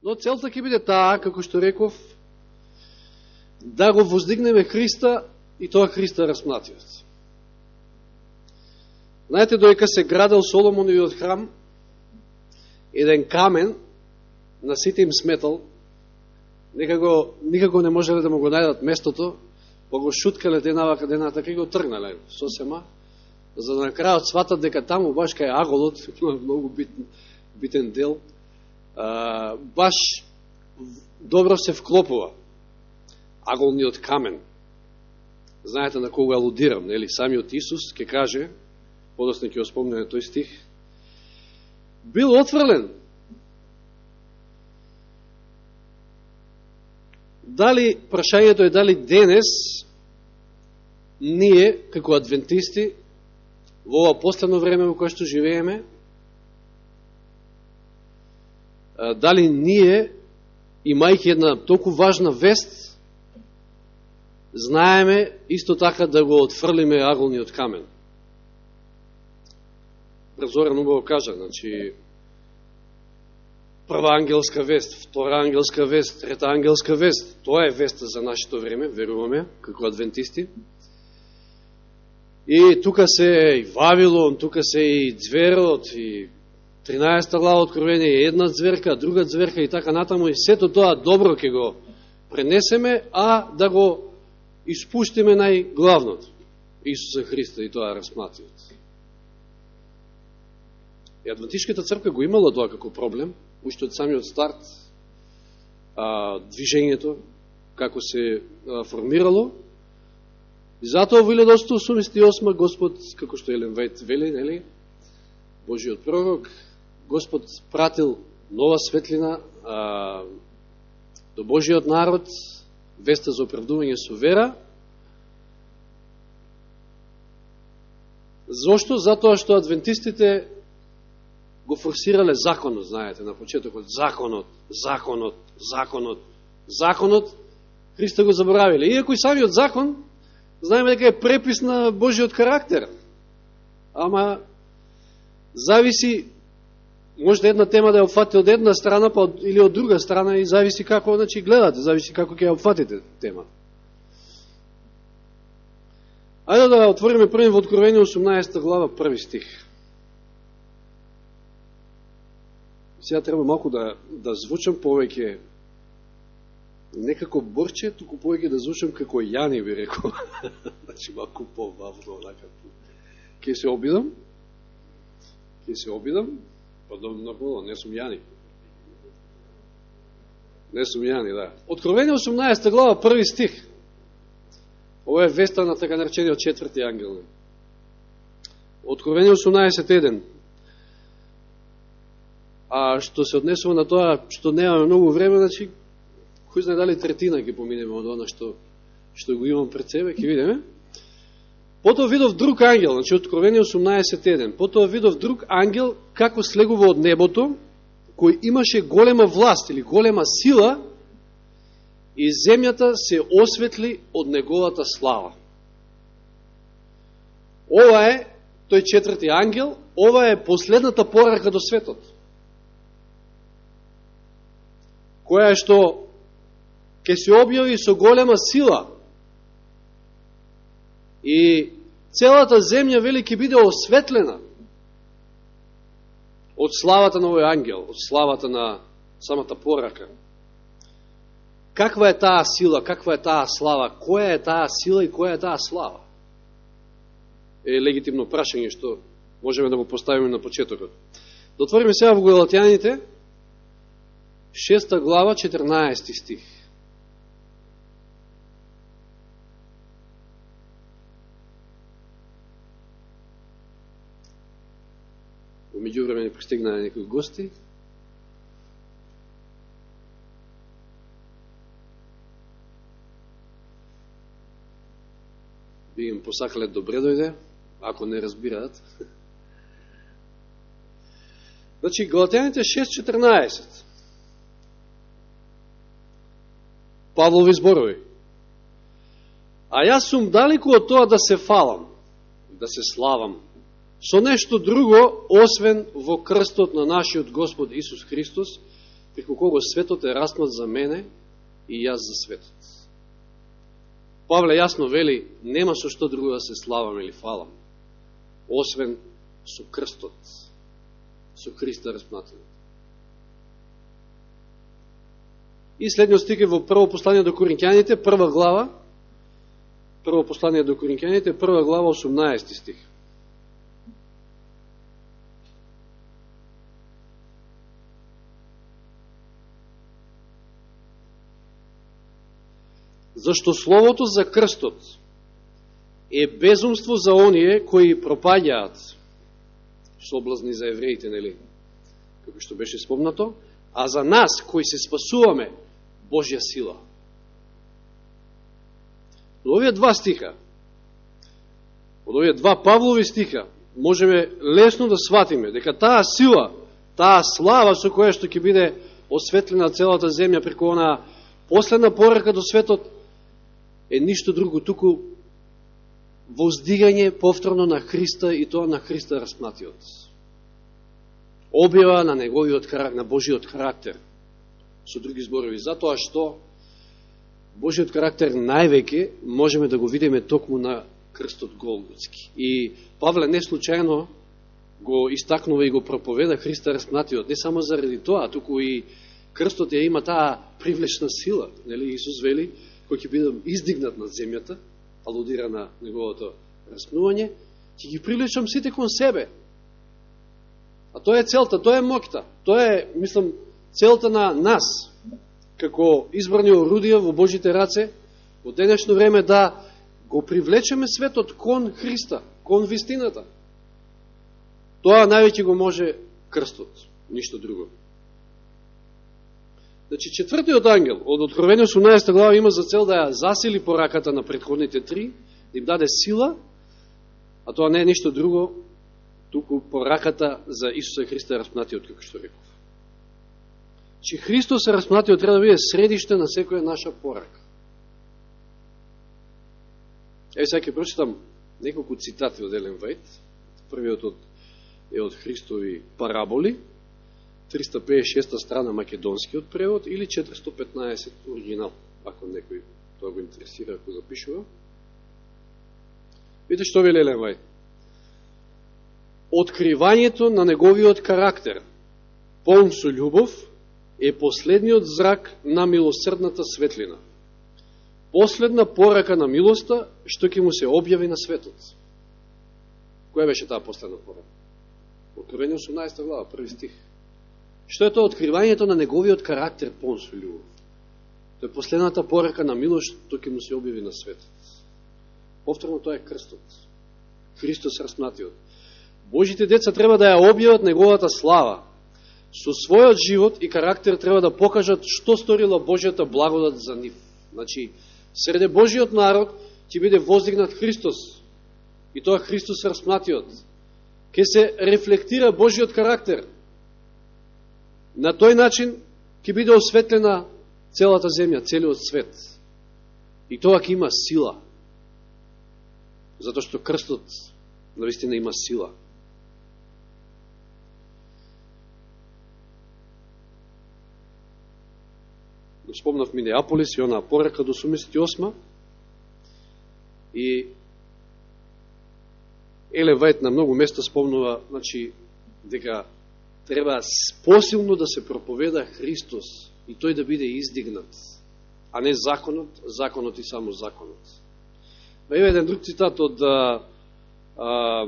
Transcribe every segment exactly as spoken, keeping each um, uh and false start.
Но целта ќе биде таа, како што реков, да го воздигнеме Христа и тоа Христа распнатиот. Знаете, доека се градел Соломоновиот храм, еден камен на сите им сметал, никако, никако не можеле да му го најдат местото, па го шуткале денава дената, кај го тргнале сосема, за да на крајот сватат дека таму баш кај аголот, многу битен, битен дел, а, баш добро се вклопува аголниот камен. Знаете на кого алудирам, нели? Самиот Исус ќе каже, подосна ќе оспомне тој стих, бил отврлен. Дали, прашањето е дали денес ние, како адвентисти, во ова последно време во кое што живееме, дали ние, имајќи една толку важна вест, знаеме исто така да го отфрлиме аголниот камен. Зоран убаво кажа, значи, прва ангелска вест, втора ангелска вест, трета ангелска вест, тоа е веста за нашето време, веруваме, како адвентисти. И тука се и Вавилон, тука се и Зверот, и тринаесета глава Откровение, една зверка, друга зверка и така натаму, и сето тоа добро ќе го пренесеме, а да го испуштиме најглавното, Исуса Христа и тоа распнатиот. И Адвентишката црква го имала тоа како проблем, уште од самиот старт, а, движењето, како се а, формирало. И затоа во илјада осумстотини осумдесет и осма Господ, како што Елен Вајт вели, нели, Божиот пророк, Господ пратил нова светлина а, до Божиот народ, веста за оправдување со вера. Зошто? Затоа што адвентистите го форсирале законот, знаете, на почетокот, законот, законот, законот, законот, Христа го заборавиле. Иако и самиот закон, знаеме дека е препис на Божиот карактер. Ама, зависи, може да една тема да ја опфати од една страна, па од, или од друга страна, и зависи како, значи, гледате, зависи како ќе ја опфатите темата. Ајде да отвориме први во Откровение осумнаесета глава, први стих. Сега треба малку да, да звучам повеќе, не како Борче, туку повеќе да звучам како Јани, би рекол. Значи малку по-вавно, онака. Ке се обидам, ке се обидам, па добро, не сум Јани. Не сум Јани, да. Откровение осумнаесета глава, први стих. Ова е веста на така наречениот четврти ангел. Откровение осумнаесет еден. А што се однесува на тоа што немаме многу време, значи, кој знае дали третина ќе поминеме од она што, што го имам пред себе, ќе видиме. Потоа видов друг ангел, значи Откровение осумнаесет еден. Потоа видов друг ангел како слегува од небото, кој имаше голема власт или голема сила, и земјата се осветли од неговата слава. Ова е тој четврти ангел, ова е последната порака до светот, која што ќе се објави со голема сила и целата земја вели ќе биде осветлена од славата на овој ангел, од славата на самата порака. Каква е таа сила, каква е таа слава, која е таа сила и која е таа слава? Е легитимно прашање што можеме да го поставиме на почетокот. Да отвориме сега во Галатјаните, шеста глава, четрнаесети стих. Во меѓувреме не пристигнаа некои гости. Би им посакале добре дојде, ако не разбираат. Значи, Галатјаните шест четрнаесет. Павлови зборови. А јас сум далеку од тоа да се фалам, да се славам, со нешто друго, освен во крстот на нашиот Господ Исус Христос, преку кого светот е распнат за мене и јас за светот. Павле јасно вели, нема со што друго да се славам или фалам, освен со крстот, со Христа распнатен. И следниот стих е во прво послание до Коринќаните, прва глава, прво послание до Коринќаните, прва глава, осумнаесети стих. Зашто словото за крстот е безумство за оние кои пропаѓаат, соблазни за евреите, нели, како што беше спомнато, а за нас кои се спасуваме, Божја сила. Од овие два стиха, од овие два Павлови стиха, можеме лесно да сватиме дека таа сила, таа слава со која што ќе биде осветлена целата земја преку онаа последна порака до светот, е ништо друго, туку воздигање повторно на Христа и тоа на Христа распнатиот. Објава на неговиот карактер, на Божиот карактер. Со други зборови, затоа што Божиот карактер највеќе можеме да го видиме токму на крстот Голготски. И Павле не случајно го истакнува и го проповеда Христа распнатиот, не само заради тоа, туку и крстот ја има таа привлечна сила. Нели Исус вели, кој ќе биде издигнат над земјата, алудира на неговото распнување, ќе ги привлечам сите кон себе. А тоа е целта, тоа е моќта, тоа е, мислам, целта на нас, како избрани орудија во Божите раце, во денешно време да го привлечеме светот кон Христа, кон вистината. Тоа највеќе го може крстот, ништо друго. Значи, четвртиот ангел од Откровение осумнаесета глава има за цел да ја засили пораката на претходните три, да им даде сила, а тоа не е ништо друго, туку пораката за Исуса Христа распнатиот, како што реков. Че Христос распнатиот треба да биде средиште на секоја наша порака. Ево сега ќе прочитам неколку цитати од Елен Вајт. Првиот од, е од Христови параболи, триста педесет и шеста страна македонскиот превод или четиристо петнаесет оригинал, ако некој тоа го интересира, ако запишува. Видите што вели Елен Вајт. Откривањето на неговиот карактер, полн со љубов, е последниот зрак на милосрдната светлина. Последна порака на милоста, што ќе му се објави на светот. Која беше таа последна порака? Откровение осумнаесета глава, први стих. Што е тоа откривањето на неговиот карактер полн со љубов? Тоа е последната порака на милост, што ќе му се објави на светот. Повторно тоа е крстот. Христос распнатиот. Божите деца треба да ја објават неговата слава. Со својот живот и карактер треба да покажат што сторила Божјата благодат за нив. Значи, среде Божиот народ ќе биде воздигнат Христос. И тоа Христос распнатиот. Ке се рефлектира Божиот карактер. На тој начин ќе биде осветлена целата земја, целиот свет. И тоа ќе има сила. Затоа што крстот навистина има сила. Спомнав Минеаполис и онаа порака до осумдесет и осма. И Елен Вајт на многу места спомнува, значи, дека треба посилно да се проповеда Христос и тој да биде издигнат, а не законот, законот и само законот. Еве еден друг цитат од а, а,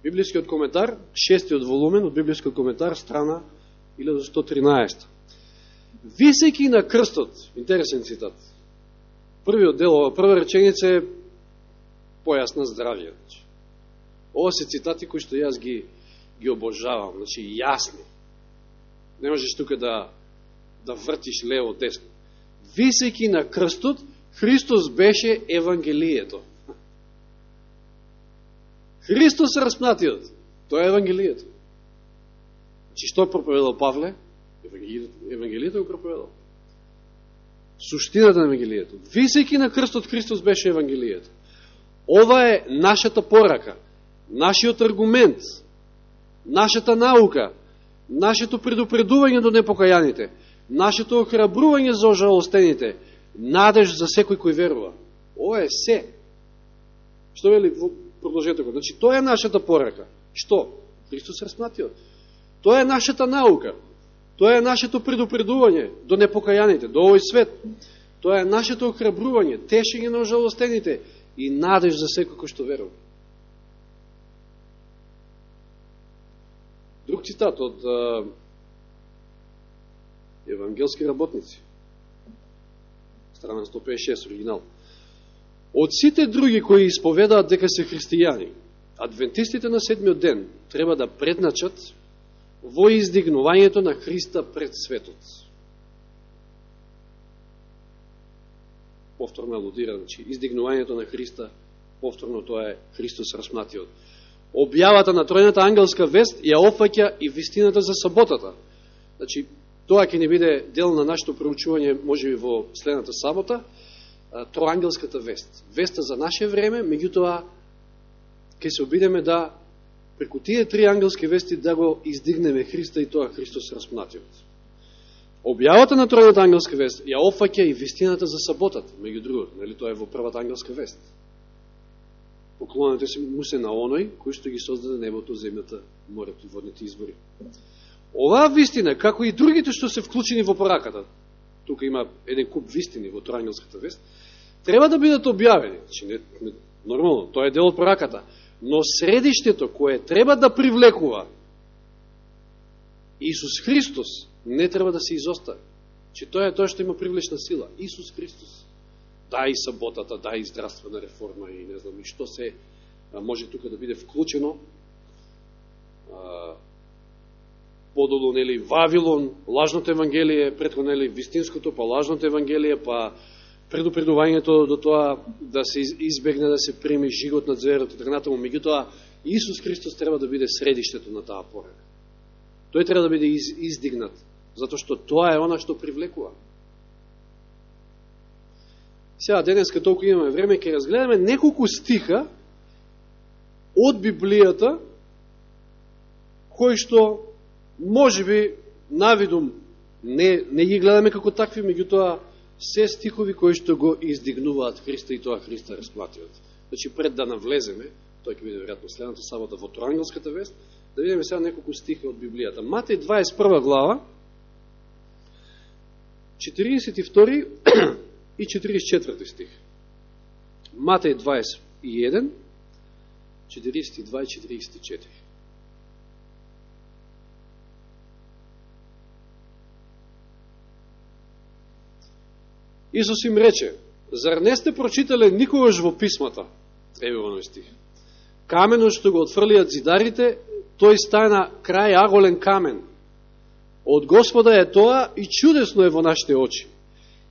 библискиот коментар, шестиот волумен од библискиот коментар, страна илјада сто тринаесет. Висејќи на крстот, интересен цитат. Првиот дел, прва реченица е појас на здравје. Ова се цитати кои што јас ги ги обожавам, значи јасни. Не можеш тука да да вртиш лево десно. Висејќи на крстот, Христос беше евангелието. Христос распнатиот, тоа е евангелието. Значи што проповедал Павле? Евангелието, евангелието го проповедал. Суштината на евангелието. Висејќи на крстот, Христос беше евангелието. Ова е нашата порака, нашиот аргумент, нашата наука, нашето предупредување до непокајаните, нашето охрабрување за ожалостените, надеж за секој кој верува. Ова е се. Што вели во продолжетокот? Значи, тоа е нашата порака. Што? Христос распнатиот. Тоа е нашата наука. Тоа е нашето предупредување до непокајаните, до овој свет. Тоа е нашето охрабрување, тешење на ожалостените и надеж за секој кој што верува. Друг цитат од а, евангелски работници. Страна сто петдесет и шест, оригинал. Од сите други кои исповедаат дека се христијани, адвентистите на седмиот ден треба да предначат во издигнувањето на Христа пред светот. Повторно алудира, значи, издигнувањето на Христа, повторно тоа е Христос распнатиот. Објавата на тројната ангелска вест ја опфаќа и вистината за саботата. Значи, тоа ќе не биде дел на нашето проучување, можеби во следната сабота, троангелската вест. Веста за наше време, меѓутоа ќе се обидеме да преку тие три ангелски вести да го издигнеме Христа и тоа Христос распнатиот. Објавата на тројната ангелска вест ја опфаќа и вистината за саботата, меѓу другото, нели тоа е во првата ангелска вест. Поклонете се му се на оној кој што ги создаде небото, земјата, морето и водните извори. Оваа вистина, како и другите што се вклучени во пораката, тука има еден куп вистини во троангелската вест, треба да бидат објавени. Значи, не, не, нормално, тоа е дел од пораката. Но средиштето кое треба да привлекува Исус Христос не треба да се изостави. Че тоа е тоа што има привлечна сила. Исус Христос. Да и саботата, да и здравствена реформа и не знам и што се може тука да биде вклучено. Подолу, нели, Вавилон, лажното евангелие, претходно, нели, вистинското, па лажното евангелие, па предупредувањето до тоа да се избегне да се прими жигот на зверот и така натаму. Меѓутоа, Исус Христос треба да биде средиштето на таа порака. Тој треба да биде из, издигнат, затоа што тоа е она што привлекува. Сега, денеска толку имаме време, ќе разгледаме неколку стиха од Библијата, кои што можеби навидум не, не ги гледаме како такви, меѓутоа се стихови кои што го издигнуваат Христа и тоа Христа распнатиот. Значи, пред да навлеземе, тој ќе биде веројатно следната сабота во троангелската вест, да видиме сега неколку стиха од Библијата. Матеј дваесет и прва глава, четириесет и втори и четириесет и четврти стих. Матеј дваесет и еден, четириесет и два и четириесет и четири. Исус им рече: зар не сте прочитале никогаш во писмата? Еве во овој стих. Каменот што го отфрлиат зидарите, тој стана крај аголен камен. Од Господа е тоа и чудесно е во нашите очи.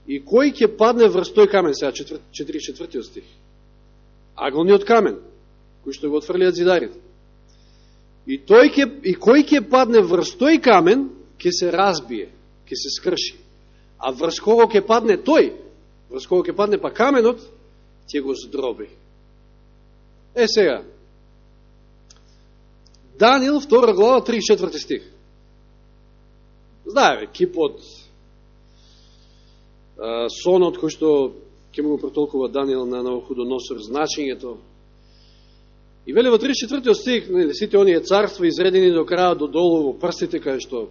И кој ќе падне врз тој камен? Сега четириесет и четвртиот стих. Аголниот камен, кој што го отфрлиат зидарите. И, тој ќе, и кој ќе падне врз тој камен, ќе се разбие, ќе се скрши. А врз кого ќе падне тој, врз кого ќе падне па каменот, ќе го здроби. Е сега, Даниил, втора глава, тридесет и четврти стих. Знаеме, кипот, сонот кој што ќе му го протолкува Даниил на Навуходоносор, значењето. И вели во тридесет и четвртиот стих, сите оние царства изредени до краја до долу во прстите, каде што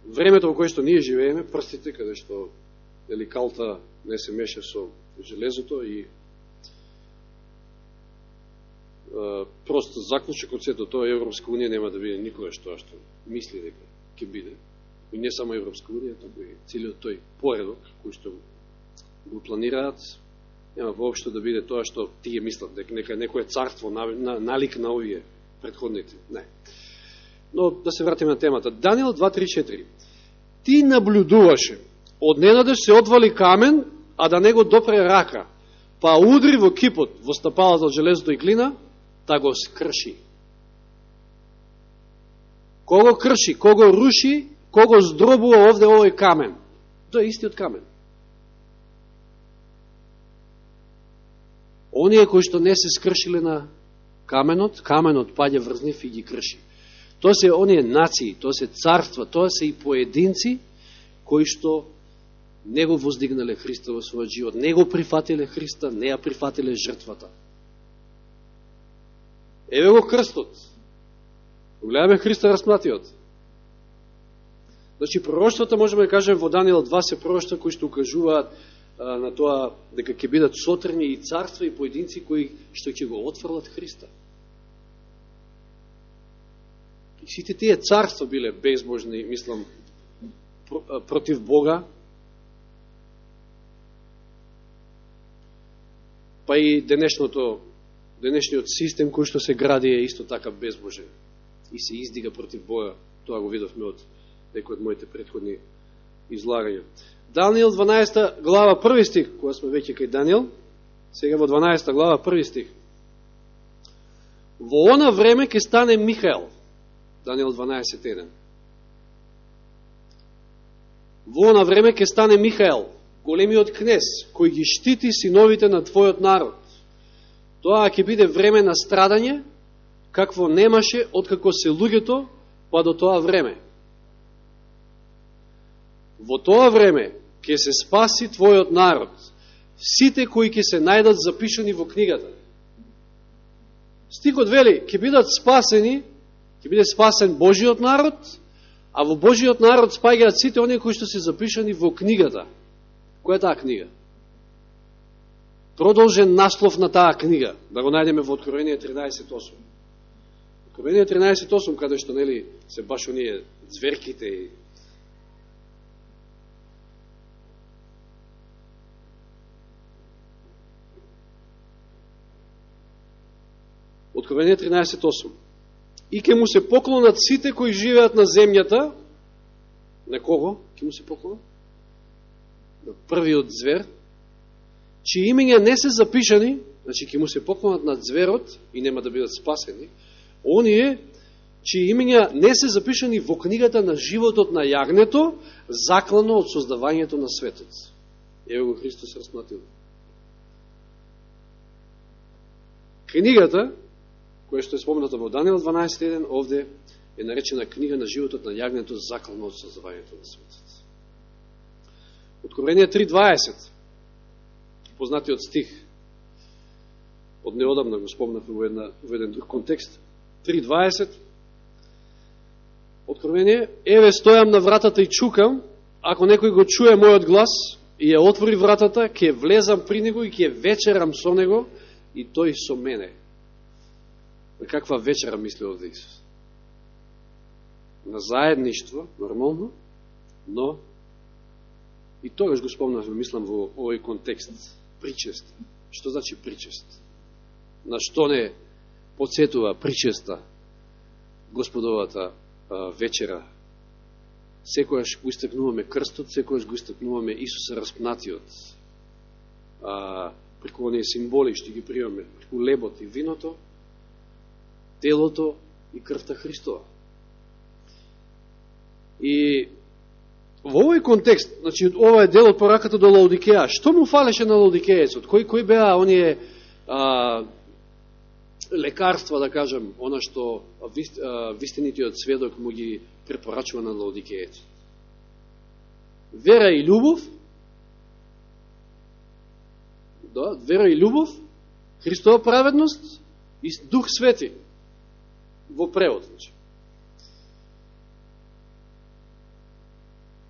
времето во кое што ние живееме, прстите, каде што дали калта не се меша со железото и Uh, просто заклучок од сето тоа Европска унија нема да биде никогаш тоа што мисли дека ќе биде. И не само Европска унија, туку и целиот тој поредок кој што го планираат, нема воопшто да биде тоа што тие мислат дека нека некое царство на, на, налик на овие претходните. Не. Но да се вратиме на темата. Даниил два три четири. Ти наблюдуваше, одненадеж се одвали камен, а да не го допре рака, па удри во кипот, во стапалата од железото и глина, да го скрши. Кого крши, кого руши, кого здробува овде овој камен? Тоа е истиот камен. Оние кои што не се скршиле на каменот, каменот паѓа врз нив и ги крши. Тоа се оние нации, тоа се царства, тоа се и поединци кои што не го воздигнале Христа во својот живот, не го прифатиле Христа, не ја прифатиле жртвата. Еве го крстот. Гледаме Христа распнатиот. Значи, пророштвата, можеме да кажем, во Даниел два се пророштва кои што укажуваат а, на тоа дека ќе бидат сотрни и царства и поединци кои што ќе го отфрлат Христа. И сите тие царства биле безбожни, мислам, против Бога, па и денешното, денешниот систем кој што се гради е исто така безбожен и се издига против Бога. Тоа го видовме од некои од моите претходни излагања. Даниел дванаесета глава први стих, кога сме веќе кај Даниел, сега во дванаесета глава први стих. Во она време ќе стане Михаел, Даниел дванаесет еден. Во она време ќе стане Михаел, големиот кнез, кој ги штити синовите на твојот народ. Тоа ќе биде време на страдање, какво немаше откако се луѓето, па до тоа време. Во тоа време ќе се спаси твојот народ, сите кои ќе се најдат запишани во книгата. Стихот вели, ќе бидат спасени, ќе биде спасен Божиот народ, а во Божиот народ спаѓаат сите оние кои што се запишани во книгата. Која е таа книга? Продолжен наслов на таа книга, да го најдеме во Откровение тринаесет осум. Откровение тринаесет осум, каде што нели се баш оние зверките и Откровение тринаесет осум. И ќе му се поклонат сите кои живеат на земјата. На кого ќе му се поклонат? На првиот звер, чии имења не се запишани, значи ќе му се поклонат над зверот и нема да бидат спасени, оние чии имења не се запишани во книгата на животот на јагнето, заклано од создавањето на светот. Ево го Христос распнатил. Книгата, која што е спомната во Даниел дванаесет еден, овде е наречена книга на животот на јагнето, заклано од создавањето на светот. Откровение три дваесет, познатиот стих, од неодамна го спомнавме во, една, во еден друг контекст, три дваесет, Откровение, еве стојам на вратата и чукам, ако некој го чуе мојот глас и ја отвори вратата, ќе влезам при него и ќе вечерам со него и тој со мене. На каква вечера мисли овде Исус? На заедништво, нормално, но и тогаш го спомнавме, мислам, во овој контекст, причест. Што значи причест? На што не подсетува причеста Господовата а, вечера? Секојаш го истакнуваме крстот, секојаш го истакнуваме Исуса распнатиот. А, преку оние символи што ги примаме, преку лебот и виното, телото и крвта Христова. И во овој контекст, значи, ова е дел од пораката до Лаодикеја. Што му фалеше на Лаодикејецот? Кои, кои беа оние а, лекарства, да кажем, она што вист, а, вистинитиот сведок му ги препорачува на Лаодикејецот? Вера и љубов, да, вера и љубов, Христова праведност и Дух Свети во превод, значи.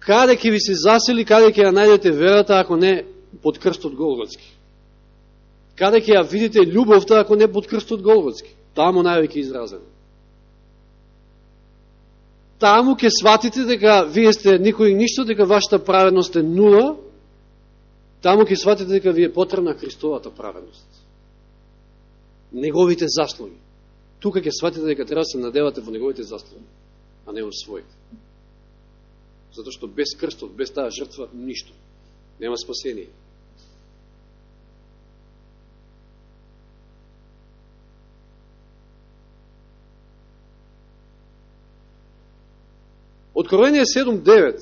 Каде ќе ви се засели, каде ќе ја најдете верата, ако не под крстот Голготски? Каде ќе ја видите љубовта, ако не под крстот Голготски? Таму највеќе изразено. Таму ќе сватите дека вие сте никој и ништо, дека вашата праведност е нула. Таму ќе сватите дека ви е потребна Христовата праведност. Неговите заслуги. Тука ќе сватите дека треба да се надевате во неговите заслуги, а не во своите. Затоа што без крстот, без таа жртва, ништо. Нема спасение. Откровение седум девет.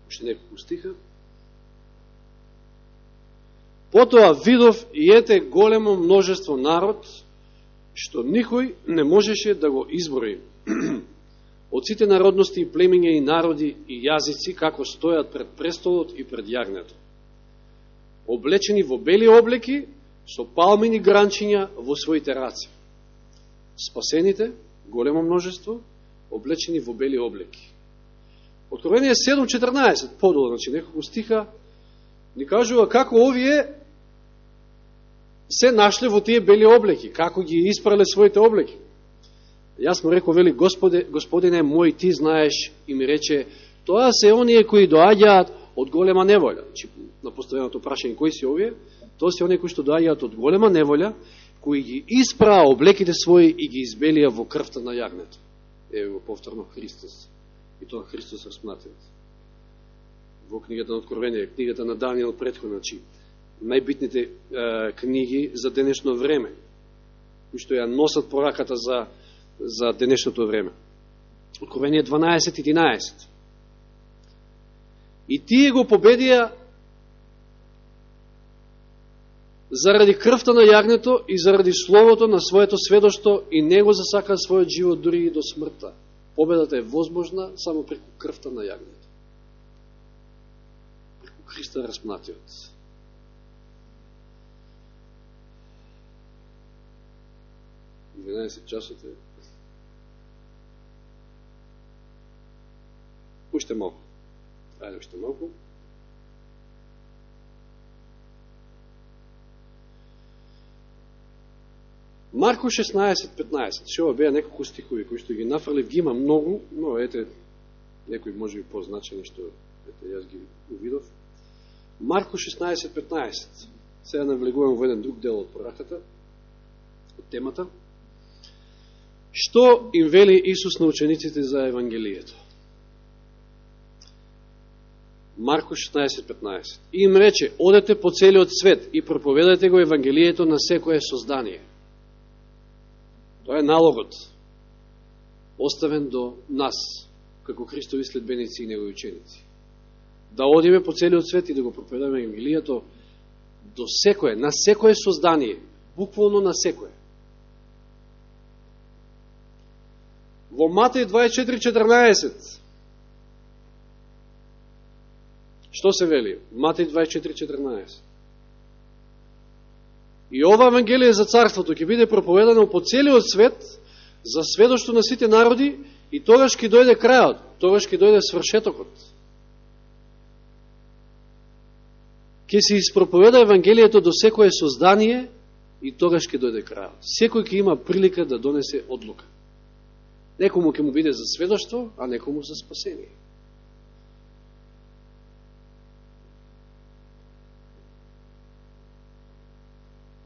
Уште неколку стиха. Потоа видов и ете големо множество народ, што никој не можеше да го изброи. Од сите народности и племиња и народи и јазици како стојат пред престолот и пред јагнето. Облечени во бели облеки, со палмини гранчиња во своите раце. Спасените, големо множество, облечени во бели облеки. Откровение седум четрнаесет, подолу, значи неколку стиха, ни кажува како овие се нашле во тие бели облеки, како ги испрале своите облеки. Јас му рекол, вели, Господе, Господине мој, ти знаеш, и ми рече, тоа се оние кои доаѓаат од голема неволја. Значи, на поставеното прашање, кои си овие? Тоа се оние кои што доаѓаат од голема неволја, кои ги испраа облеките своји и ги избелија во крвта на јагнето. Ево го повторно Христос. И тоа Христос распнатиот. Во книгата на Откровение, книгата на Данијел претходно, значи, најбитните е, книги за денешно време, кои што ја носат пораката за, за денешното време. Откровение дванаесет единаесет. И тие го победија заради крвта на јагнето и заради словото на своето сведоштво и него засака својот живот дури и до смртта. Победата е возможна само преку крвта на јагнето. Преку Христа распнатиот. дванаесет часот е. Уште малку. Ајде, уште малку. Марко шеснаесет петнаесет. Шо беа неколку стихови кои што ги нафрлив, ги има многу, но ете некои може би позначени што ете јас ги увидов. Марко шеснаесет петнаесет. Сега навлегувам во еден друг дел од пораката, од темата. Што им вели Исус на учениците за Евангелието? Марко шеснаесет петнаесет. И им рече, одете по целиот свет и проповедате го Евангелието на секое создание. Тоа е налогот, оставен до нас, како Христови следбеници и негови ученици. Да одиме по целиот свет и да го проповедаме Евангелието до секое, на секое создание, буквално на секое. Во Матеј дваесет и четири четрнаесет. Што се вели? Матеј дваесет и четири четрнаесет. И ова Евангелие за Царството ќе биде проповедано по целиот свет за сведоштво на сите народи и тогаш ќе дојде крајот, тогаш ќе дојде свршетокот. Ќе се испроповеда Евангелието до секое создание и тогаш ќе дојде крајот. Секој ќе има прилика да донесе одлука. Некому ќе му биде за сведоштво, а некому за спасение.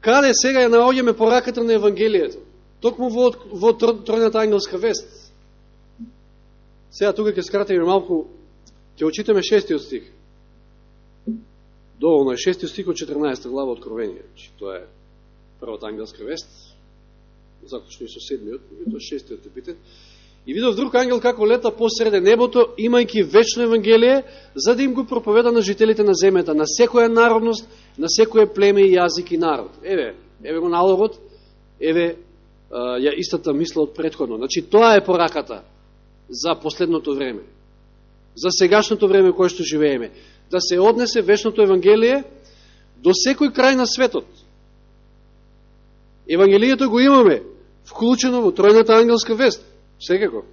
Каде сега ја наоѓаме пораката на Евангелието? Токму во, во тројната ангелска вест. Сега тука ќе скратиме малку, ќе очитаме шестиот стих. Доволно е шестиот стих од четрнаесета глава Откровение. Тоа е првата ангелска вест. Заклучно и со седмиот, и тоа шестиот е битен. И видов друг ангел како лета посреде небото, имајќи вечно Евангелие, за да им го проповеда на жителите на земјата, на секоја народност, на секоја племе и јазик и народ. Еве, еве го налогот, еве ја истата мисла од претходно. Значи, тоа е пораката за последното време, за сегашното време кое што живееме. Да се однесе вечното Евангелие до секој крај на светот. Евангелието го имаме вклучено во тројната ангелска вест. Секако.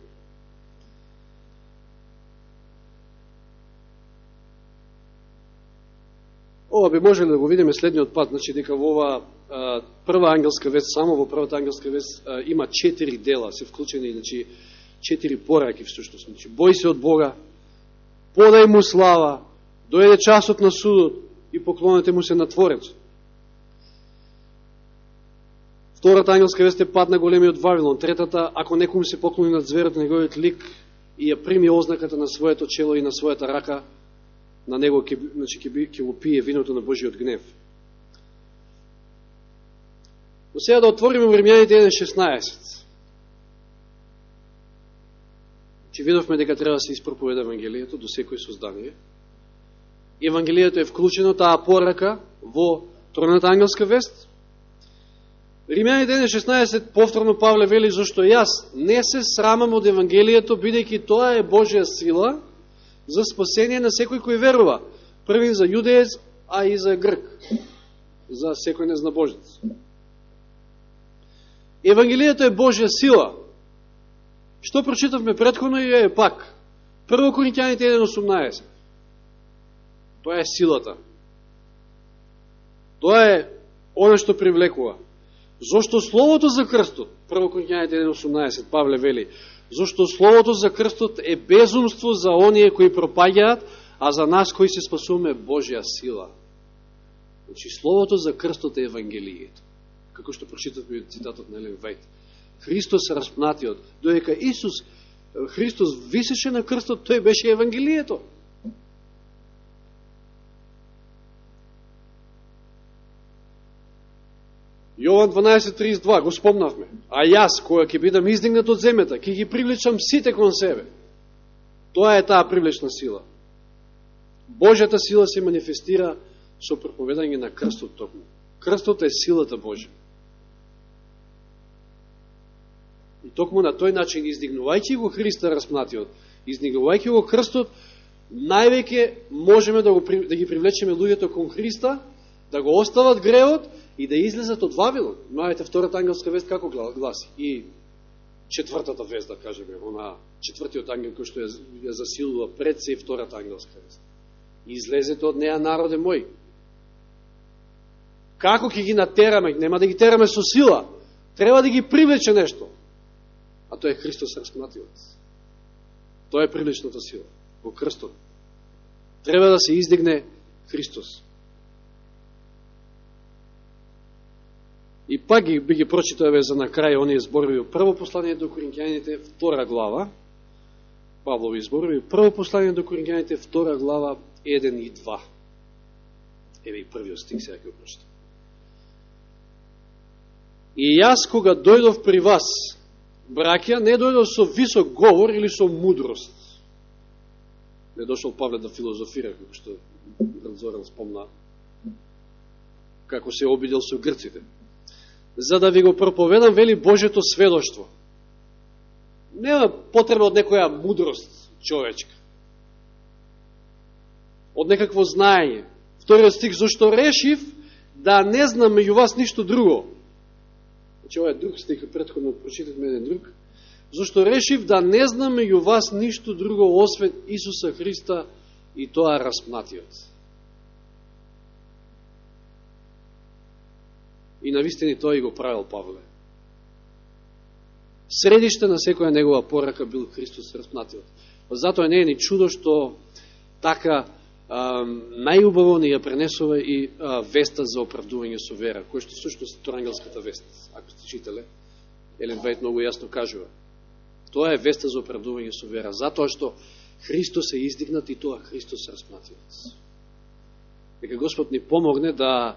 Ова би можеле да го видиме следниот пат, значи дека во ова а, прва ангелска вест, само во првата ангелска вест а, има четири дела, се вклучени, значи четири пораки всушност. Значи, бој се од Бога, подај му слава, дојде часот на судот и поклонете му се на Творецот. Втората ангелска вест е пат на големиот Вавилон. Третата, ако некому се поклони над зверот на неговиот лик и ја прими ознаката на своето чело и на својата рака, на него ќе, значи, ќе, би, ќе го пие виното на Божиот гнев. Но сега да отвориме Римјаните еден шеснаесет. Че видовме дека треба да се испроповеда Евангелието до секој создание. Евангелието е вклучено, таа порака, во тројната ангелска вест. Римјани еден шеснаесет повторно Павле вели, зашто јас не се срамам од Евангелието, бидејќи тоа е Божја сила за спасение на секој кој верува. Првин за јудеец, а и за грк, за секој незнабожец. Евангелието е Божја сила. Што прочитавме претходно и е пак. Прво Коринќаните еден осумнаесет. Тоа е силата. Тоа е оно што привлекува. Зошто Словото за крстот, Прво Коринќаните еден осумнаесет, Павле вели, зошто Словото за крстот е безумство за оние кои пропаѓаат, а за нас кои се спасуваме Божја сила. Значи, Словото за крстот е Евангелието. Како што прочитавме цитатот на Елен Вајт. Христос распнатиот, додека Исус, Христос висеше на крстот, тој беше Евангелието. Јован дванаесет тридесет и два, го спомнавме. А јас, која ќе бидам издигнат од земјата, ќе ги привлечам сите кон себе. Тоа е таа привлечна сила. Божјата сила се манифестира со проповедање на крстот токму. Крстот е силата Божја. И токму на тој начин, издигнувајќи го Христа распнатиот, издигнувајќи го крстот, највеќе можеме да, го, да ги привлечеме луѓето кон Христа, да го остават греот и да излезат од Вавилон. Знаете, втората ангелска вест како гласи? И четвртата вест, да кажеме, она четвртиот ангел кој што ја, ја засилува пред се и втората ангелска вест. Излезете од неа, народе мој. Како ќе ги натераме? Нема да ги тераме со сила. Треба да ги привлече нешто. А тоа е Христос распнатиот. Тоа е привлечната сила. Во крстот. Треба да се издигне Христос. И пак ги, би ги прочитаве за на крај оние зборови. Прво послание до Коринќаните, втора глава, Павлови зборови. Прво послание до Коринќаните, втора глава, еден и два. Еве и првиот стих, сега ќе го прочитам. И јас, кога дојдов при вас, браќа, не дојдов со висок говор или со мудрост. Не дошол Павле да филозофира, како што Зоран спомна, како се обидел со грците. За да ви го проповедам, вели, Божето сведоштво. Нема потреба од некоја мудрост човечка. Од некакво знаење. Вториот стих, зашто решив да не знам меѓу вас ништо друго. Значи, ова е друг стих, претходно прочитавме еден друг. Зашто решив да не знам меѓу вас ништо друго освен Исуса Христа и тоа распнатиот. И навистини тоа и го правил Павле. Средиште на секоја негова порака бил Христос распнатиот. Затоа не е ни чудо што така а, најубаво ни ја пренесува и а, веста за оправдување со вера, кој што всушност Ангелската вест, ако сте читале, Елен Вајт многу јасно кажува. Тоа е веста за оправдување со вера, затоа што Христос е издигнат и тоа Христос распнатиот. Нека Господ ни помогне да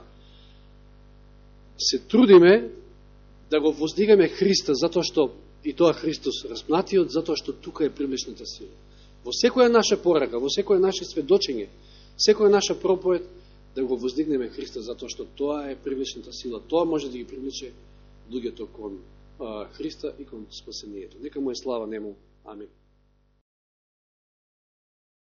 се трудиме да го воздигаме Христа, затоа што и тоа Христос распнатиот, затоа што тука е привлечната сила. Во секоја наша порака, во секоја наше сведочење, секоја наша проповед, да го воздигнеме Христа, затоа што тоа е привлечната сила. Тоа може да ги привлече луѓето кон а, Христа и кон спасението. Нека му е слава нему. Амин.